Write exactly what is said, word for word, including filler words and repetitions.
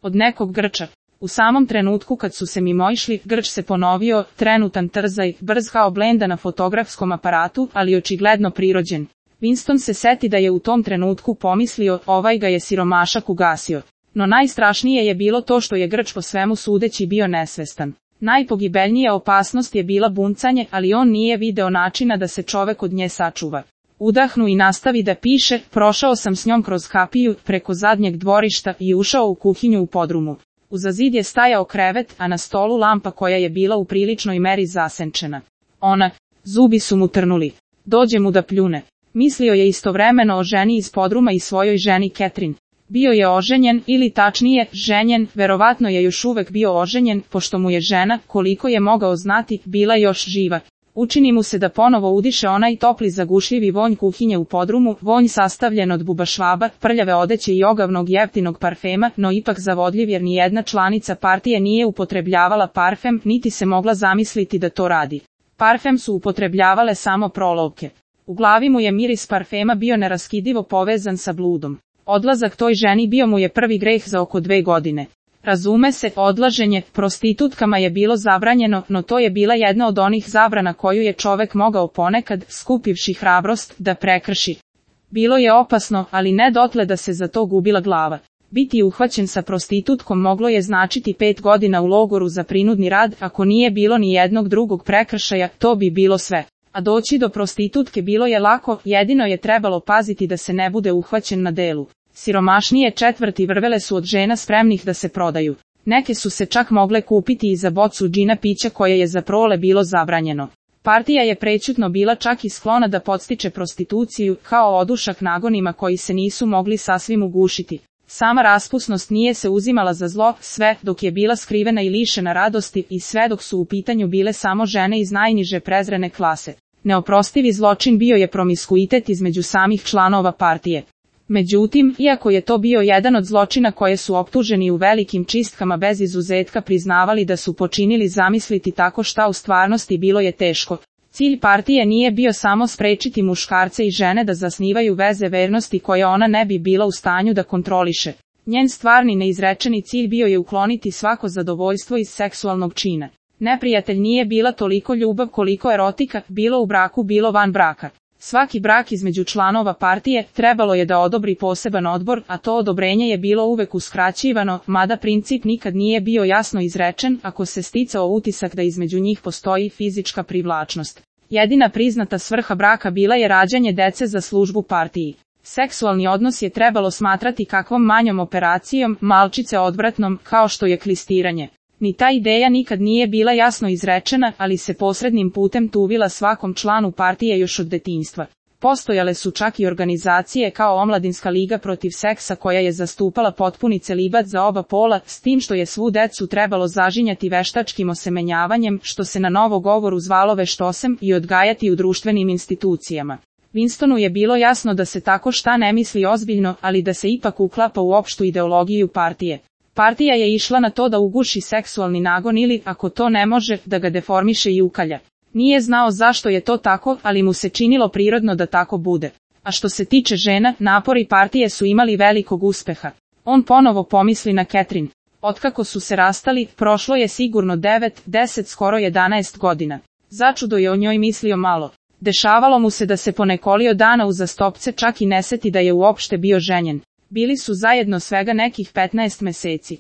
od nekog Grča. U samom trenutku kad su se mimoišli, Grč se ponovio, trenutan trzaj, brz kao blenda na fotografskom aparatu, ali očigledno prirođen. Winston se seti da je u tom trenutku pomislio, ovaj ga je siromašak ugasio. No najstrašnije je bilo to što je Grč po svemu sudeći bio nesvestan. Najpogibeljnija opasnost je bila buncanje, ali on nije video načina da se čovek od nje sačuva. Udahnu i nastavi da piše, prošao sam s njom kroz kapiju, preko zadnjeg dvorišta i ušao u kuhinju u podrumu. Uza zid je stajao krevet, a na stolu lampa koja je bila u priličnoj meri zasenčena. Ona, zubi su mu trnuli. Dođe mu da pljune. Mislio je istovremeno o ženi iz podruma i svojoj ženi Catherine. Bio je oženjen, ili tačnije, ženjen, verovatno je još uvek bio oženjen, pošto mu je žena, koliko je mogao znati, bila još živa. Učini mu se da ponovo udiše onaj topli zagušljivi vonj kuhinje u podrumu, vonj sastavljen od bubašvaba, prljave odeće i ogavnog jeftinog parfema, no ipak zavodljiv jer nijedna članica partije nije upotrebljavala parfem, niti se mogla zamisliti da to radi. Parfem su upotrebljavale samo prolovke. U glavi mu je miris parfema bio neraskidivo povezan sa bludom. Odlazak toj ženi bio mu je prvi greh za oko dve godine. Razume se, odlaženje prostitutkama je bilo zabranjeno, no to je bila jedna od onih zabrana koju je čovek mogao ponekad, skupivši hrabrost, da prekrši. Bilo je opasno, ali ne dotle da se za to gubila glava. Biti uhvaćen sa prostitutkom moglo je značiti pet godina u logoru za prinudni rad, ako nije bilo ni jednog drugog prekršaja, to bi bilo sve. A doći do prostitutke bilo je lako, jedino je trebalo paziti da se ne bude uhvaćen na delu. Siromašnije četvrti vrvele su od žena spremnih da se prodaju. Neke su se čak mogle kupiti i za bocu džina pića koje je za prole bilo zabranjeno. Partija je prećutno bila čak i sklona da podstiče prostituciju, kao odušak nagonima koji se nisu mogli sasvim ugušiti. Sama raspusnost nije se uzimala za zlo, sve dok je bila skrivena i lišena radosti i sve dok su u pitanju bile samo žene iz najniže prezrene klase. Neoprostivi zločin bio je promiskuitet između samih članova partije. Međutim, iako je to bio jedan od zločina koje su optuženi u velikim čistkama bez izuzetka priznavali da su počinili, zamisliti tako šta u stvarnosti bilo je teško. Cilj partije nije bio samo sprečiti muškarce i žene da zasnivaju veze vernosti koje ona ne bi bila u stanju da kontroliše. Njen stvarni neizrečeni cilj bio je ukloniti svako zadovoljstvo iz seksualnog čina. Neprijatelj nije bila toliko ljubav koliko erotika, bilo u braku bilo van braka. Svaki brak između članova partije trebalo je da odobri poseban odbor, a to odobrenje je bilo uvek uskraćivano, mada princip nikad nije bio jasno izrečen, ako se sticao utisak da između njih postoji fizička privlačnost. Jedina priznata svrha braka bila je rađanje dece za službu partiji. Seksualni odnos je trebalo smatrati kakvom manjom operacijom, malčice odvratnom, kao što je klistiranje. Ni ta ideja nikad nije bila jasno izrečena, ali se posrednim putem tuvila svakom članu partije još od detinjstva. Postojale su čak i organizacije kao Omladinska liga protiv seksa koja je zastupala potpuni celibat za oba pola, s tim što je svu decu trebalo zažinjati veštačkim osemenjavanjem, što se na novogovoru zvalo veštosem, i odgajati u društvenim institucijama. Winstonu je bilo jasno da se tako šta ne misli ozbiljno, ali da se ipak uklapa u opštu ideologiju partije. Partija je išla na to da uguši seksualni nagon ili, ako to ne može, da ga deformiše i ukalja. Nije znao zašto je to tako, ali mu se činilo prirodno da tako bude. A što se tiče žena, napori partije su imali velikog uspeha. On ponovo pomisli na Catherine. Otkako su se rastali, prošlo je sigurno devet, deset, skoro jedanaest godina. Začudo je o njoj mislio malo. Dešavalo mu se da se po nekoliko dana uzastopce čak i ne seti da je uopšte bio ženjen. Bili su zajedno svega nekih petnaest meseci.